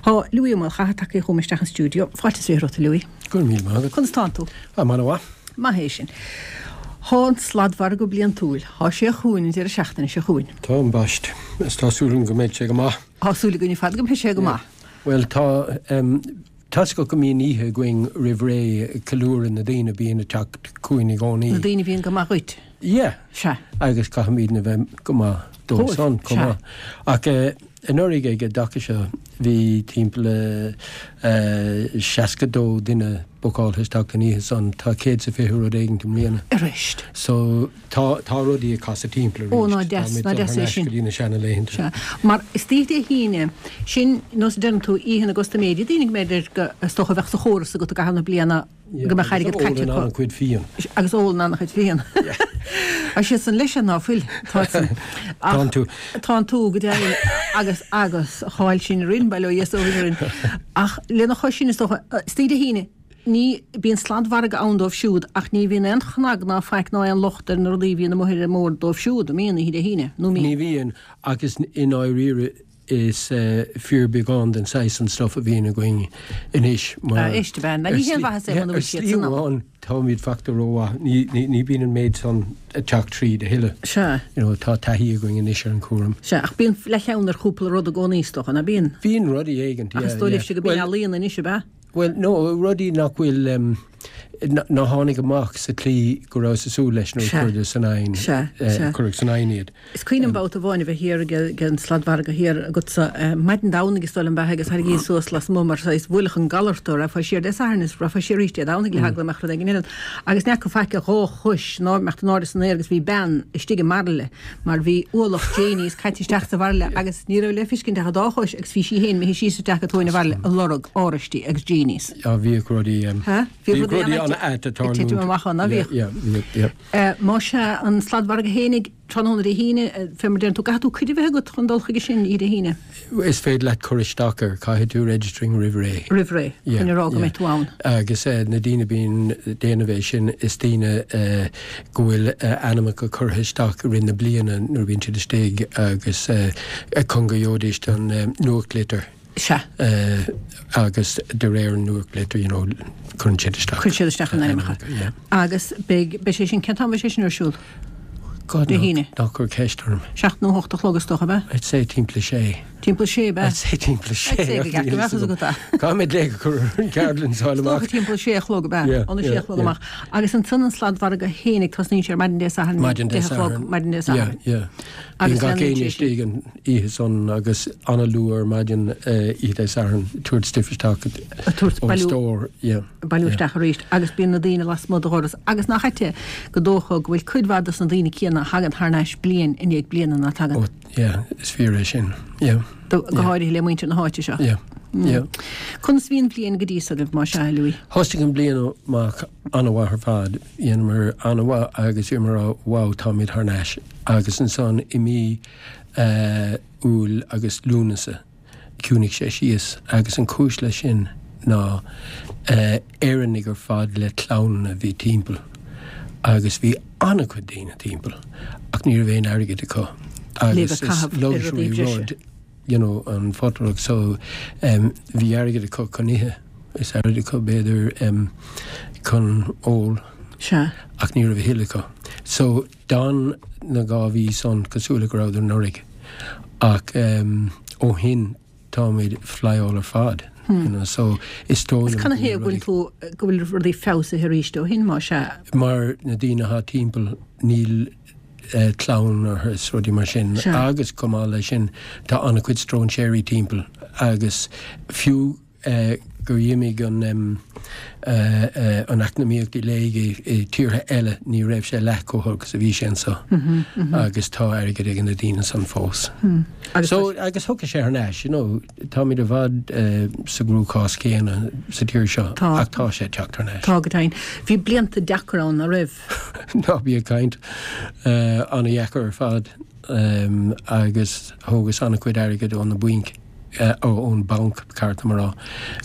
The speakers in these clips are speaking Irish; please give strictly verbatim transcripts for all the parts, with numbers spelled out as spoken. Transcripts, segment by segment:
Tá Louis Ó Maolchatha tagtha chugam isteach an stiúideo. Fáilte is fiche romhat, a Louis. Go raibh míle maith agat. Conas tánn tú? Ah, an-mhaith. Maith é sin. Tá an sladmhargadh bliantúil, tá sé chugainn an deireadh seachtaine seo chugainn. Tá ambaist. Is tá súil go mbeidh sé go maith. Tá súil againn ar fad go mbeidh sé go maith. Well tá um, tá go mbíonn oíche againn roimh ré ceiliúradh na daoine bíonn ag teacht chugainn i gcónaí. Na daoine bhíonn go maith dhuit. Yeah. Sea. Agus caithfimid a bheith go maith dóibh san chomh maith. Ach uh, anuraidh ag an dtaca seo bhí timpeall uh, seasca dó duine bookáilte isteach an oíche san tá céad sa fiche rud éigin i mbliana. Arís. So tá tá rudaí ag casadh timpeall Ó, ná deas, ná deas é sin. Go dtí na seanlaethanta. Sea. Mar is Dé hAoine sin nós deireann tú oíche na gcustaiméirí, daoine go mb'fhéidir go is dócha a bheadh sa chóras agat i gcaitheamh na bliana go mbeadh airgead caite acu. An-chuid fíon. Agus ólann an-chuid fíon. A sé san leis ná fuil Tá tú. Tá tú go deimhin agus agus cháil sin rin bail ó Dhia orainn. Ach lena chois sin is dócha is Dé hAoine ní bíonn sladmhargadh ann dóibh siúd ach ní bhíonn aon chnag ná faic ná aon locht ar na rudaí bhíonn amuigh ar an mbord dóibh siúd, an mbíonn Dé hAoine nó Ní bhíonn agus i ndáiríre is uh, fíorbeagán den saghas an stuff a bhíonn againn anois mar Éist ben, ní haon mhaitheas é muna bhfuil siad san am. Táimid fachta rómhaith ní bhíonn an méid san ag teacht tríd a thuilleadh. Sea. You know, tá taithí againn anois ar an cúram. Sea, ach bíonn leathcheann ar chúpla rud i gcónaí is dócha, ná bíonn? Bíonn rudaí éigin, Ach is dóigh libhse go bíonn ealaíon anois ab ea? Well, no, rudaí nach bhfuil um, ná tháinig amach sa tslí go raibh sa súil leis nó cuireadh san ain cuireadh san ain iad. Is cuimhin liom babhta amháin a bheith thiar ag an sladmhargadh thiar agatsa maidin Domhnaigh is dóigh liom ab ea agus tharraingíos suas lasmuigh mar is bhuailfeadh an galar tú rachfá siar Dé Sathairn is rachfá siar arís Dé Domhnaigh le heagla go mbeadh rud éigin ionat. Agus ní fhaca faic a dhá chois ná mbeadh in airde san aer agus bhí bean istigh i mbairille mar bhí ualach Janies caite isteach sa bhairille agus ní raibh le feiscint ach a dá chois agus bhí sí féin imithe síos isteach go tóin an bhairille ag lorg oráistí agus Janies. Ja bhíodh rudaí Bhí rudaí an-ait ag titim amach ann, bhíodh. Más ea an sladmhargadh fhéinig tráthnóna Dé hAoine, fé mar deireann tú, caithfidh tú cuid a bheith agat chun dul chuige sin Dé hAoine. Is féidir leat cur isteach air, caithfidh tú registering roimh ré. Roimh ré, chun a rá go mbeidh tú ann. Agus na daoine bíonn déanamh é sin is daoine go bhfuil ainmneacha curtha isteach i rith na bliana nuair a bhíonn siad istigh agus chun go gheobhaidís an nuachtlitir. Sea. Agus de réir an nuachtlitir, you know, cuireann siad isteach. Cuireann siad isteach a n-ainmneacha. Agus beidh, beidh sé sin, cén t-am a bheidh sé sin ar siúl? God, Dé hAoine. Ná cuir ceist orm. Seacht nó hocht a chlog is dócha, ab ea? I'd say timpeall a sé. Timpeall a sé, ab ea? I'd say timpeall a sé. I'd say go gceart go mbeadh fhios agat é. Caithfidh mé glaoch a chur ar an gceardlann is fáil Is amach. dócha timpeall a sé a chlog, ab ea? Yeah, Óna sé yeah, a chlog yeah. amach. Agus ansan an sladmhargadh fhéinig, tosnaíonn sé ar maidin Dé Sathairn, Maidin Dé deich a chlog, Sathairn. maidin Dé Yeah, Sathairn. yeah. Agus Bíonn gach leanann éinne sé sin. istigh an oíche san agus an-luath ar maidin oíche Dé Sathairn tabhairt stuif isteach A tabhairt ón bailiú- stór, yeah. bailiú yeah. isteach arís agus bíonn na daoine lasmuigh de dhoras agus nach ait é go dócha go bhfuil cuid mhaith dos na daoine céanna a thagann thar n-ais bliain i ndiaidh bliana ná tagann. Oh, yeah, is fíor é sin, yeah. Do, go háirithe le muintir na háite seo. Yeah, yeah. Conas bhí an bhliain go dtí so agaibh más ea, Louis? Thosaigh an bliain amach an-mhaith ar fad, dhéanamar an-mhaith agus bhíomar á wow táimid thar n-ais agus ansan i mí uh, Iúil agus Lúnasa chiúnaigh sé síos agus an chúis leis sin ná uh, Éireannaigh ar fad le clann a bhí timpeall agus bhí an-chuid daoine timpeall ach ní raibh aon airgead acu Le agus bheith is caitheamh ar luxury rudaí breise. rud you know, an potluck so um, bhí airgead acu chun ithe is airgead acu b'fhéidir um, chun ól Sea. ach ní raibh a thuilleadh acu. So d'fhan na dhá mhí san cosúil le go rabhadar anuraidh ach um, ó shin táimid flyáil ar fad. Hmm. You know, so is dóigh Is liom cad go thaobh bhfuil go bhfuil tú go bhfuil rudaí feabhsaithe arís ó shin más ea. mar na daoine atá timpeall níl uh, clann orthu is rudaí mar sin Sea. agus chomh maith leis sin tá an-chuid stróinséirí timpeall agus fiú uh, gur imigh an um, uh, uh, an eacnamaíocht i léig i, i tíortha eile ní raibh sé leath chomh holc is a bhí sé anseo Mm -hmm, mm -hmm. agus tá airgead ag na daoine san fós. Hmm. Agus So agus thug sé thar n-ais, you know, táimid i bhfad uh, sa gcruachás céanna sa tír seo Tá. ach tá sé teacht thar n-ais. Tá go deimhin. Bhí blianta deacair ann a raibh. Ná bí ag caint uh, an-dheacair ar fad um, agus thógas an-chuid airgead ón na bainc uh, ó ón banc ceart mar rá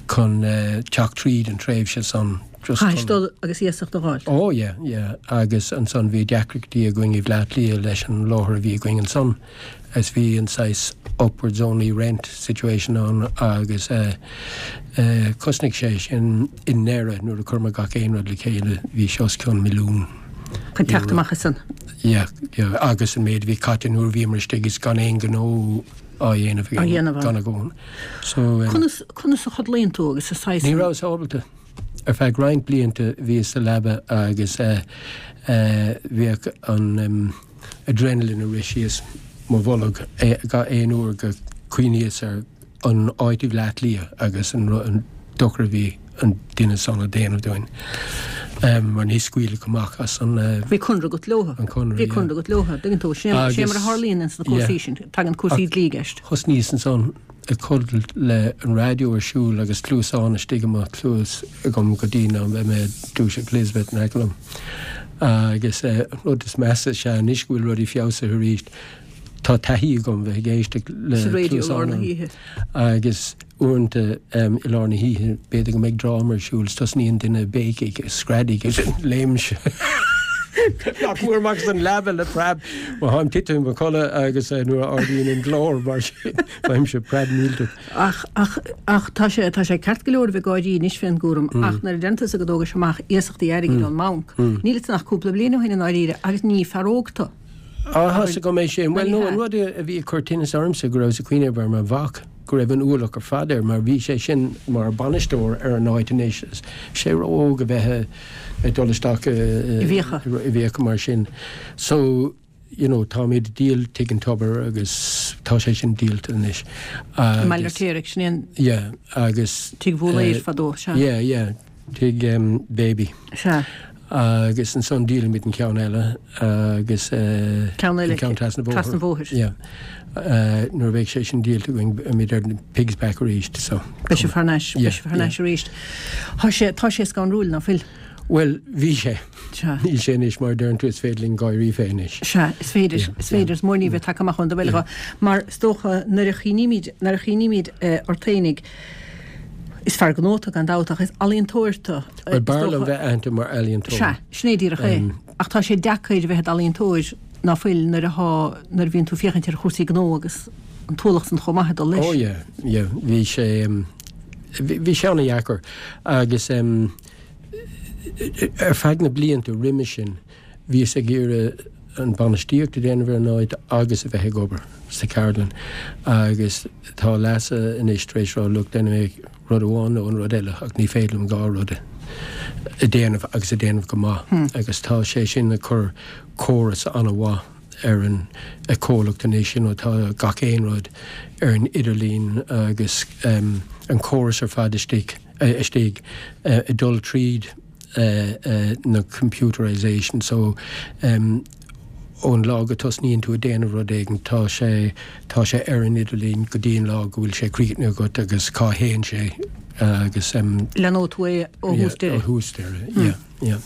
chun uh, teacht tríd an tréimhse san Just Chaithis dul agus iasacht a fháil. Oh yeah, yeah. Agus ansan bhí deacrachtaí againn i Bhleá Cliath leis an láthair a bhí againn ansan. Is bhí an saghas upwards only rent situation ann agus uh, uh, chosnaigh sé sin i ndeireadh nuair a chuir mé gach aon rud le chéile bhí sé os cionn milliún. Chun teacht amach as san. Yeah, yeah, agus an méid bhí caite nuair a bhíomar istigh is gan aon gnó á dhéanamh Á dhéanamh ann. gan a gón. So, um, Conas conas a chodlaíonn tú agus a saghas. Ní rabhas ábalta. Ar feadh roinnt blianta bhíos sa leaba agus uh, uh, bhíodh an um, adrenaline ag rith síos mo bholg eh, gach aon uair go cuimhníos ar an áit i Bhleá Cliath agus an, ru- an dochar a bhí an duine san ag déanamh dúinn. Um, mar ní scaoileadh amach as an uh, Bhí conradh agat leo. An conradh, Bhí yeah. conradh agat leo. Tuigeann tú sé Agus- sé mar a tharlaíonn ins na cúrsaí Yeah. sin. Tagann cúrsaí dlí i gceist. Thosnaíos ansan ag codladh le an raidió ar siúl agus cluasán istigh i mo chluas agam go dtí ná bheith mé dúiseacht Elizabeth in aice liom. Agus eh, an rud is measa sé anois go bhfuil rudaí feabhsaithe arís. Tá taithí agam bheith ag éisteacht le Sa raidió cluasán lár na ann. hoíche. Agus uaireanta um, i lár na hoíche b'fhéidir go mbeidh dráma ar siúl, tosnaíonn duine béicigh screadaigh agus léimse. Nach mór amach an leaba le preab má tháim titim i mo chodladh agus eh, nuair a ardaíonn an glór mar sin bheimse preab millteach. Ach ach ach tá sé tá sé ceart go leor bheith gáirí anois fén gcúram ach nuair a déanta go dtógais amach iasachtaí airgid ón mbanc. Níl nach cúpla bliain ó shin i ndáiríre agus ní fear óg tú. Á go méid sin well Ní no hea. an rud a bhí ag cur tinnis ormsa go raibh sa cuimhneamh ar mo mhac go raibh an ualach ar fad air mar bhí sé sin mar bainisteoir ar an áit anois sé ró-óg a bheith ag dul isteach I bhfiacha. i bhfiacha mar sin. So you know, táimid díol Tigh an Tobair agus tá sé sin díolta anois. Baile Fheirtéaraigh sin an Yeah, agus Tigh Bhóléir eh, fadó sea. Yeah, yeah, tigh um, baby. Sea. Agus ansan díolaimid an ceann eile agus uh, Ceann eile, an ceann trasna bhóthair. trasna bhóthair. Yeah. Uh, nuair a bheidh sé sin díolta againn beimid ar pigs back arís so. Beidh sé thar n-ais Yeah, beidh sé thar n-ais arís. Tá sé tá sé scanrúil ná fuil. Well, bhí sé. Sea. Níl sé anois mar deireann tú is féidir linn gáirí fé anois. Sea, is féidir Yeah, is féidir is mór ní bheith amach an do bhile mar is dócha nuair a chuimhnímid nuair a chuimhnímid ort fhéinig is fear gnó tú gan dabht ach is ealaíontóir tú. Well, b'fhearr liom bheith aitheanta mar ealaíontóir. Sea, sin é díreach é. Um, Ach tá sé deacair bheith ealaíontóir ná fuil nuair atá nuair a bhíonn tú féachaint ar chúrsaí gnó agus an t-ualach san chomh maith dul leis. Oh yeah, yeah, bhí sé um, bhí bhí sé an-deacair agus um, ar feadh na blianta roimhe sin bhíos ag iarraidh an bainistíocht a dhéanamh ar an áit agus a bheith ag obair sa cheardlann agus tá Leasa anois tar éis rá look déanfaidh mé rud amháin nó an rud eile ach ní féidir liom dhá rud a dhéanamh agus a dhéanamh go maith Hmm. agus tá sé sin ag cur córas an-mhaith ar an a comhlacht anois sin tá gach aon rud ar an idirlíon agus um, an córas ar fad istigh uh, istigh uh, ag dul tríd uh, uh, na computerization so um, ón lá go tosnaíonn tú ag déanamh rud éigin tá sé tá sé ar an idirlíon go dtí an lá go bhfuil sé críochnaithe agat agus cá théann sé agus um, Leanfaidh tú é ó yeah, thús deireadh. ó thús deireadh, yeah, yeah.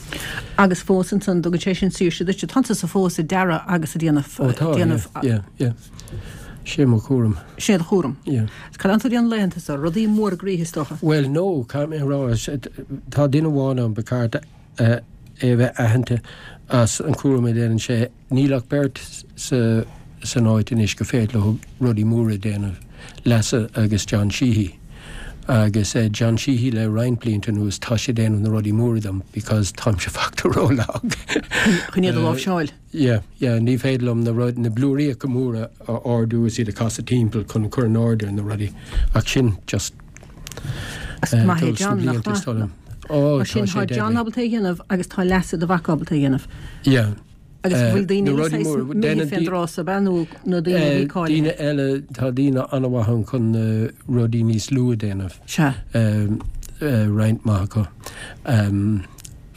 Agus fós ansan tugann sé sin saoirse duit tá sa fós ag dearadh agus ag déanamh Ó tá déanamh yeah, yeah, yeah. Sé mo chúram. Sé do chúram. Yeah. Cad atá tú déanamh laethanta so rudaí mór groí is dócha. Well no, cá mé rá tá duine amháin ann ba cheart uh, é bheith aitheanta as an cúram a déanann sé níl ach beirt sa san áit anois go féidir leo rudaí móra déanamh Leasa agus John Sheehy. Agus uh, John Sheehy le roinnt blianta anuas tá sé déanamh na rudaí móra dom because táimse fachta rólag. Chun iad a láimhseáil. Yeah, yeah, ní féidir liom na rud na blúiríocha móra a ardú is iad a chasadh timpeall chun cur in ord ar na rudaí ach sin just As eh, maith é dul sna John nach blianta is maith. dóigh liom. Ó, Mar sin tá sé tá John deadly. ábalta a dhéanamh agus tá Leasa do mhac ábalta a dhéanamh. Yeah. Agus Eh, bhfuil daoine na rudaí móra, déanann fén di- dtráth ab ea nó na daoine a bhí Eh, cáilithe. Daoine eile tá daoine an-mhaith ann chun na rudaí níos lú a dhéanamh. Sea. Um, uh, roinnt maith acu. Um,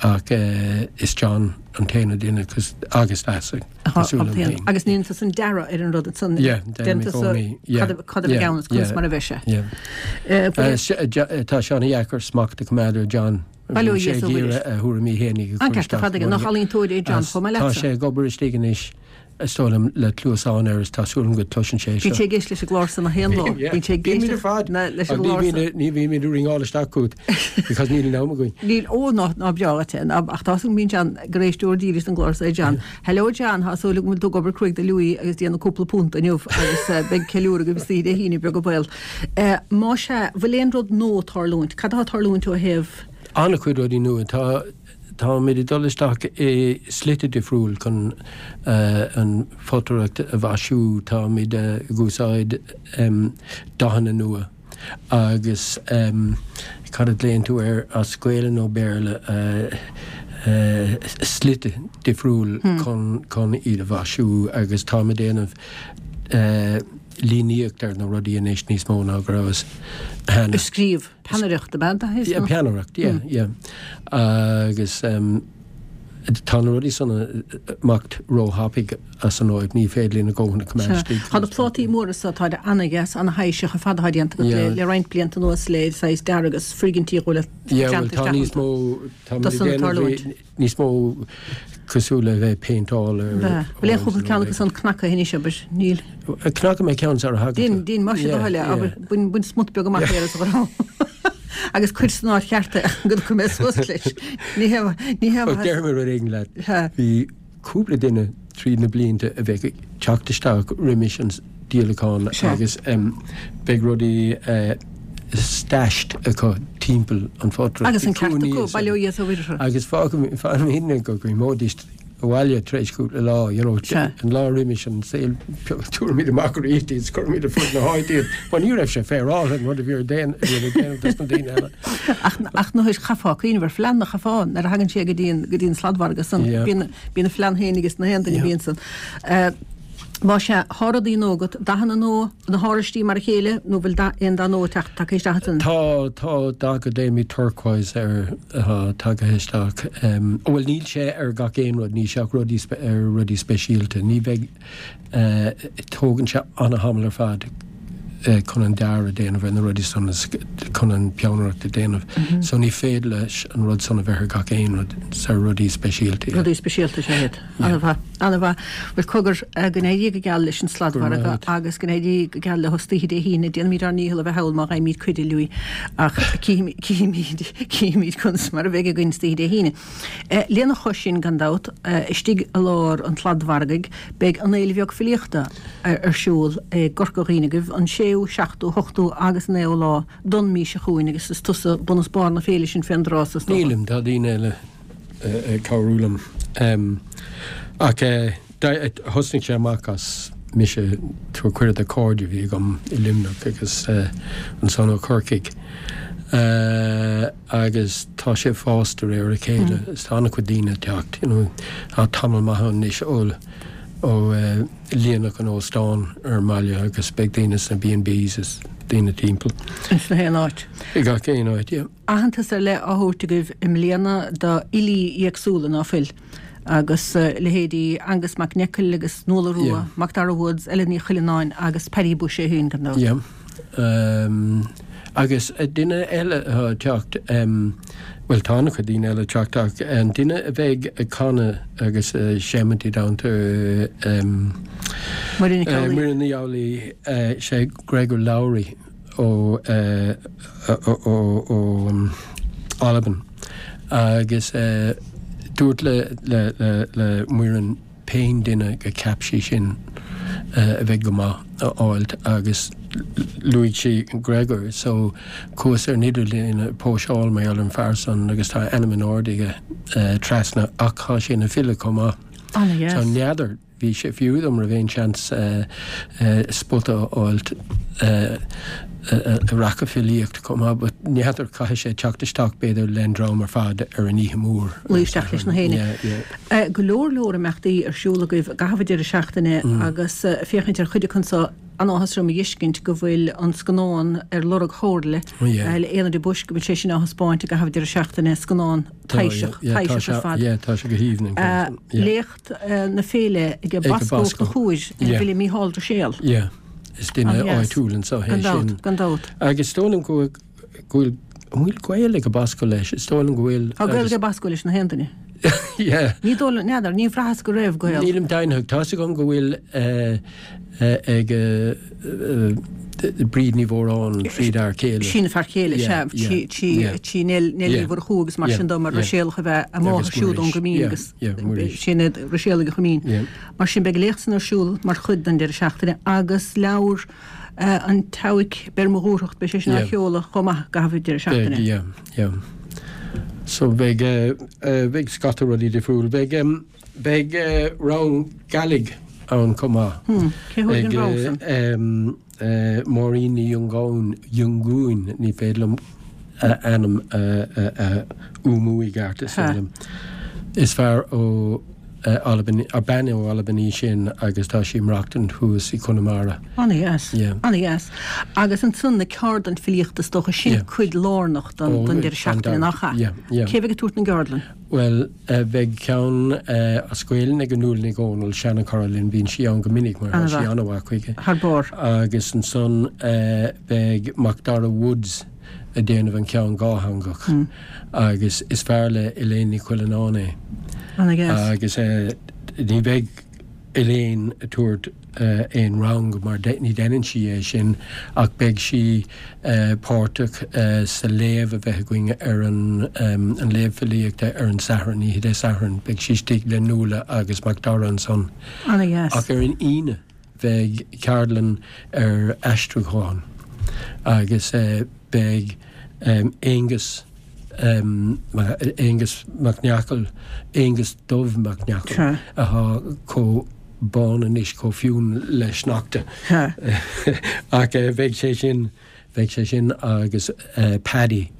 ach uh, is John an t-aon duine cos agus Leasa. cosúil liom féin. Agus ní tú san dearadh ar an rud san Yeah, déanaim i gcónaí. Yeah, cad a yeah, gceann conas yeah, mar a bheidh sé. yeah. Eh, Eh, se- eh, Jo- eh, Tá sé an-deacair smacht a choimeád ar John. Bail ó Bhí sé Dhia ag is iarraidh a thuairimí féin a An chur ceart isteach fad nach ealaíontóir é John As chomh maith Tá leatsa. sé ag obair istigh anois Is dóigh liom le cluasáin air is tá súil agam go gcloiseann sé seo. Bíonn sé ag éisteacht leis an gclár san na haon lá. Bíonn sé ag éisteacht leis an gclár san. Ní bhímid ag ringeáil isteach chugat because níl an am againn. Níl, ó ná ná breá dhuit é. Ach tá súil agam bíonn John gur éisteoir dílis don gclár seo é John. Hello John, tá súil agam go bhfuil tú ag obair cruaidh do Louis agus déanamh cúpla punt inniu agus beidh ceiliúradh agaibh istoíche Dé hAoine beag an baol. Más ea, bhfuil aon rud nua ag tarlúint? Cad atá ag tarlúint ó thaobh? An-chuid rudaí nua. Tá. Táimid ag dul isteach i slite difriúil chun an photaireacht a mhaisiú. Táimid ag úsáid dathanna nua agus cad a ghlaonn tú air as Gaelainn nó Béarla, slite difriúil chun iad a mhaisiú agus táimid ag déanamh líníocht ar na rudaí anois níos mó ná go rabhas cheana. Ag scríobh peannaireacht ab ea? Yeah, peannaireacht, yeah, yeah. Agus tá na rudaí san ag imeacht róthapaidh as an áit, ní féidir linn a dhóthain a choimeád istigh. Tá na plátaí móra so, táid ana-dheas, ana-thaibhseach ar fad atá déanta agat le roinnt blianta anuas le saghas dearg agus foirgintí a dhul Yeah, bhuel tá níos mó, tá muid ag déanamh níos mó cosúil le bheith ag péinteáil ar. Bheith. Bhfuil aon chúpla ceann acu san cnagtha anois, abair? Níl. Cnagfaidh mé ceann sara thagann tú. Déan, déan, más é do thoil é, abair, bain, bain smut beag amach air is a ghrá. Agus cuir san áit cheart é go dtiocfaidh mé suas leis. Ní hé, ní hé. Déarfaidh mé rud éigin leat. Bhí cúpla duine tríd na blianta a bheadh ag teacht isteach roimis an díolachán agus beidh rudaí stashed acu timpeall an photaireacht. Agus an ceart acu, bail ó Dhia is ó Mhuire orthu. Agus fágfaimidne go gcuimhneoidís abhaile tar éis cúpla lá, you know, an lá roimis an sale, tabharfaimid amach arís iad is cuirfimid ar fud na háite iad. Mar ní raibh sé féaráilte an rud a bhí ar déanamh dos na daoine eile. Ach ach nó chaithfeá cuimhneamh ar phlean a chaithfeá nuair a thagann sé go dtí an go dtí an sladmhargadh san. Bíonn bíonn a phlean féin ages na haon duine a bhíonn san. Más ea, thá rudaí nua agat, dathanna nua, na horáistí mar a chéile, nó bhfuil dath, aon dath nua ag teacht, tagtha isteach ansan? Tá, tá dath go nglaoimid turquoise air atá tagtha isteach. Bhuel, níl sé ar gach aon rud, níl sé ach rudaí, ar rudaí speisialta. Ní bheidh, tógann sé ana-thamall ar fad chun an dearadh a déanamh ar na rudaí san is chun an peannaireacht a déanamh. So ní féidir leis an rud san a bheith ar gach aon rud, is ar rudaí speisialta. Rudaí speisialta, is ea iad. Ana-mhaith, ana-mhaith. Bhuel, cogar, go n-éirí go geal leis an sladmhargadh agus go n-éirí go geal leo istoíche Dé hAoine. Déanfaimid ár ndícheall a bheith thall má fhaighimid cuireadh, Louis, ach cífimid, cífimid, cífimid conas mar a bheidh againn istoíche Dé hAoine. Lena chois sin, gan dabht, istigh i lár an tsladmhargaidh, beidh an Fhéile Bheag Filíochta ar siúl i gCorca Dhuibhne agaibh an séú, seachtú, hochtú agus naoú lá don mí seo chugainn agus is tusa bun is barr na féile sin fén dtráth so, is dócha. Nílim, tá daoine eile. ag cabhrú liom. Ach thosnaigh sé amach as mise ag tabhairt cuireadh do chairde a bhí agam i Luimneach agus ansan ó Chorcaigh. Agus tá sé ag fás de réir a chéile is tá an-chuid daoine ag teacht. You know, tá tamall maith ann anois ó ó líonadh an óstán ar an mbaile agus beidh daoine sna B and Bs is daoine timpeall. Ins na haon áit. I gach aon áit, yeah. Aitheantas ar leith á thabhairt agaibh i mbliana do fhilí éagsúla, ná fuil? Agus leithéidí Aengus Mac Neacail agus Nuala Rua, Macdara Woods, Ellen Ní Chuilleanáin agus Paddy Bushe é féin, gan dabht. Yeah. Agus duine eile atá ag teacht, bhuel tá an-chuid daoine eile ag teacht ach an duine a bheidh ag canadh agus ag seimint i dteannta Muireann Nic Amhlaoibh. Muireann Ní Amhlaoibh, sé Gregor Lowrie. ó Albain agus dúirt le le Muireann pén duine go cheap sí sin a bheidh go maith a fháilt agus luaigh sí Gregor so chuas ar an idirlíon ag póiseáil mar gheall ar an fear san agus tá a ainm in airde aige trasna ach tá sé ina file chomh maith. Ana-dheas. So n'fheadar. Bhí sé fiú dom raibh aon seans spota a fháilt a rachadh filíocht chomh maith but n'fheadar caithfidh sé teacht isteach b'fhéidir len dream ar fad ar an oíche mhór. Luí isteach leis na héinne. Go leor leor imeachtaí ar siúl agaibh i gcaitheamh an deireadh seachtaine agus féachaint ar chuid acu anso an-áthas orm a dh'fheiscint go bhfuil an scannán Ar Lorg Shomhairle le Éanna de Búis go bhfuil sé sin á thaispeáint i gcaitheamh an deireadh seachtaine, scannán taibhseach, taibhseach ar fad. Tá sé go haoibhinn an ceann. Léacht na féile ag Bosco Uachtar Chomhair ar an bhfile Mícheál Ruiséal. Yeah, is duine áitiúil anseo é sin. Gan dabht, gan dabht. Agus is dóigh liom go bhfuil, an bhfuil gaol ag Bosco leis? Is dóigh liom go bhfuil. Tá gaol ag Bosco leis na haon duine. Yeah. Ní dóigh liom, n'fheadar, ní bhraitheas go raibh gaol. Nílim deimhneach. Tá's agam go bhfuil ag Bríd Ní Mhóráin tríd fhear céile. Sin a fear céile, sea. Trí Neil Ní Mhurchú agus mar sin de, mar Ruiséalach ab ea a máthair siúd ón gCoimín agus sin iad Ruiséalaigh an Choimín. Mar sin beidh an léacht san ar siúl mar chuid den deireadh seachtaine agus leabhar an tSeabhaic, Beir Mo Dhúthracht, beidh sé sin á sheoladh chomh maith i gcaitheamh an deireadh seachtaine. Beidh, yeah, yeah. So beidh, beidh scata rudaí difriúil. Beidh, beidh rang Gàidhlig ann chomh maith. Hmm, cé thabharfaidh an rang san? Ag Máirín Ní Fhionngúin, Fhionngúin, ní féidir liom a ainm a fhuaimniú i gceart, is dóigh liom. Is fear ó Albain, bean ó Albain í sin agus tá sí ag maireachtaint thuas i Conamara. Ana-dheas, ana-dheas. Agus ansan na ceardlann filíochta is dócha, sin cuid lárnach den deireadh seachtaine, nach ea? Cé bheidh ag tabhairt na gceardlann? Bhuel, beidh ceann as Gaelainn ag Nuala Nic Dhomhnaill, seanachara linn, bíonn sí ann go minic mar tá sí an-mhaith chuige. Thar barr. Agus ansan beidh Macdara Woods ag déanamh an ceann dhátheangach agus is fear le Elaine Ní Chuilleanáin é. Ana-dheas. Agus ní bheidh Elaine ag tabhairt aon rang mar ní deineann sí é sin ach beidh sí páirteach sa léamh a bheidh againn ar an an léamh filíochta ar an Satharn, oíche Dé Sathairn. Beidh sí istigh le Nuala agus Macdara ansan. Ana-dheas. Ach ar an Aoine beidh ceardlann ar aistriúchán agus beidh Aonghus Aonghus Mac Neacail, Aonghus Dubh Mac Neacail, atá chomh bán anois chomh fionn le sneachta. Ach beidh sé sin, beidh sé sin agus Paddy,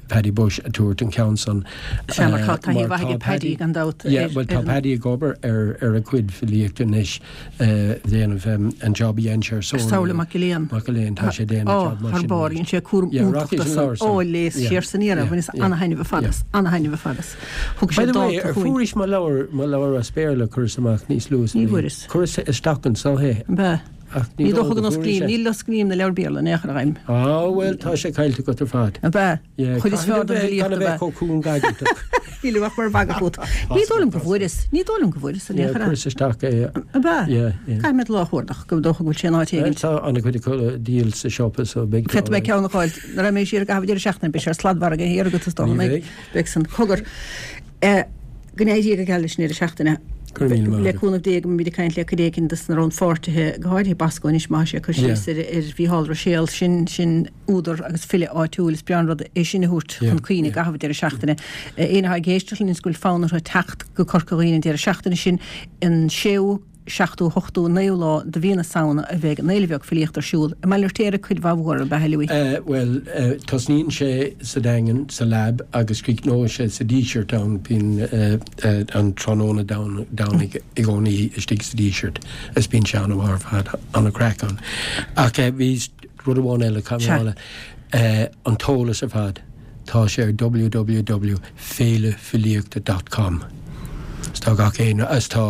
Paddy Bushe ag tabhairt an ceann san. Sea, mar tá taithí mhaith aige Paddy gan dabht. Yeah, bhuel tá Paddy ag obair ar ar a chuid filíochta anois, déanamh an job a dhein sé ar Somhairle Mac Gill Eain. Mac Gill Eain, tá sé déanamh job mar sin. Ó, thar barr, dhein sé cúram iontach de san. Ó, léas siar san iarraidh, bhaineas ana-thaitneamh ar fad as, ana-thaitneamh ar fad as. Thug sé By the way, dálta ar chugainn. fuairis mo leabhar, mo leabhar as Béarla a chuireas amach níos luaithe sa Ní bhliain? bhfuaireas. Chuireas isteach anso é. An b'ea? Ach ní Ní dóigh dócha go go fuairis n-osclaím, é. ní osclaím na leabhair Béarla in aon chor a Ghaim. Á, bhuel, tá sé caillte agat ar fad. An b'ea? Yeah, Chuid is caithfidh fearr a den bheith, bhfilíocht gan a ab bheith ea? chomh cúngaigeantach. Nílim ach mar mhagadh fút. Ní dóigh liom go bhfuaireas. Ní dóigh liom go bhfuaireas in aon Yeah, chor. chuireas isteach é. An b'ea? Yeah, yeah. Caithfidh mé do lá a chuardach, go dócha go bhfuil sé in áit éigin. Tá an-chuid acu le díol sa siopa so beidh tú Féadfaidh mé alright. ceann a fháil. Nuair a mbeidh siar i gcaitheamh deireadh seachtaine beidh sé ar sladmhargadh thiar agat is dócha, Ní an mbeidh? bheidh. Beidh san. Cogar. Eh, Go n-éirí Dia go geal leis an deireadh seachtaine. Go raibh míle maith Le agat. cúnamh Dé go mbeimid ag caint le cuid éigin de na rannpháirtithe, go háirithe Bosco anois má tá sé ag cur Yeah. síos ar ar Mhícheál Ruiséal, sin sin údar agus file áitiúil, is breá an rud é sin a thabhairt Yeah, chun cuimhne i yeah. gcaitheamh an deireadh seachtaine. Éinne atá ag éisteacht linn is go bhfuil fonn orthu teacht go Corca Dhuibhne an deireadh seachtaine sin, an séú, seachtú, hochtú, naoú lá de mhí na Samhna a bheidh an Fhéile Bheag Filíochta ar siúl i mBaile an Fheirtéaraigh cuid mhaith mhór ab ea, a Louis? Bhuel, tosnaíonn sé sa Daingean, sa Lab, agus críochnóidh sé sa Díseart ann. Bíonn an tráthnóna Domhnaigh i gcónaí istigh sa Díseart is bíonn sé an-mhaith ar fad, an-chraic ann. Ach bhí rud amháin eile, caithfidh mé a rá, an t-eolas ar fad. Tá sé ar www féilefilíochta dot com. Is tá gach aon, is tá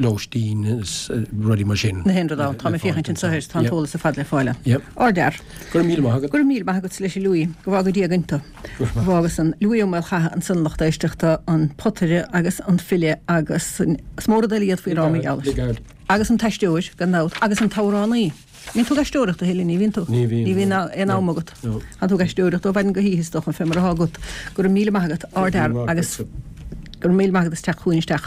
lóistín is rudaí mar sin. Na haon rud ann. Tá mé féachaint anseo air, tá an t-eolas ar fad le fáil ann. Yep. Ardfhear. Go raibh míle maith agat. Go raibh míle maith agat leis a Louis. Go bhfága Dia againn tú. Go bhfága san. Louis Ó Maolchatha ansan lucht éisteachta, an potaire agus an file agus is mó rud eile a d'fhéadfaí a rá mar gheall air. Agus an t-aisteoir, gan dabht, agus an t-amhránaí. Bíonn tú ag aisteoireacht a thuilleadh, ní bhíonn tú? Ní bhíonn. Ní bhíonn aon am agat. No. Tá tú ag aisteoireacht ó mhaidin go hoíche is dócha, fé mar atá agat. Go raibh míle maith agat, ardfhear, agus go raibh míle maith agat as teacht chugainn isteach.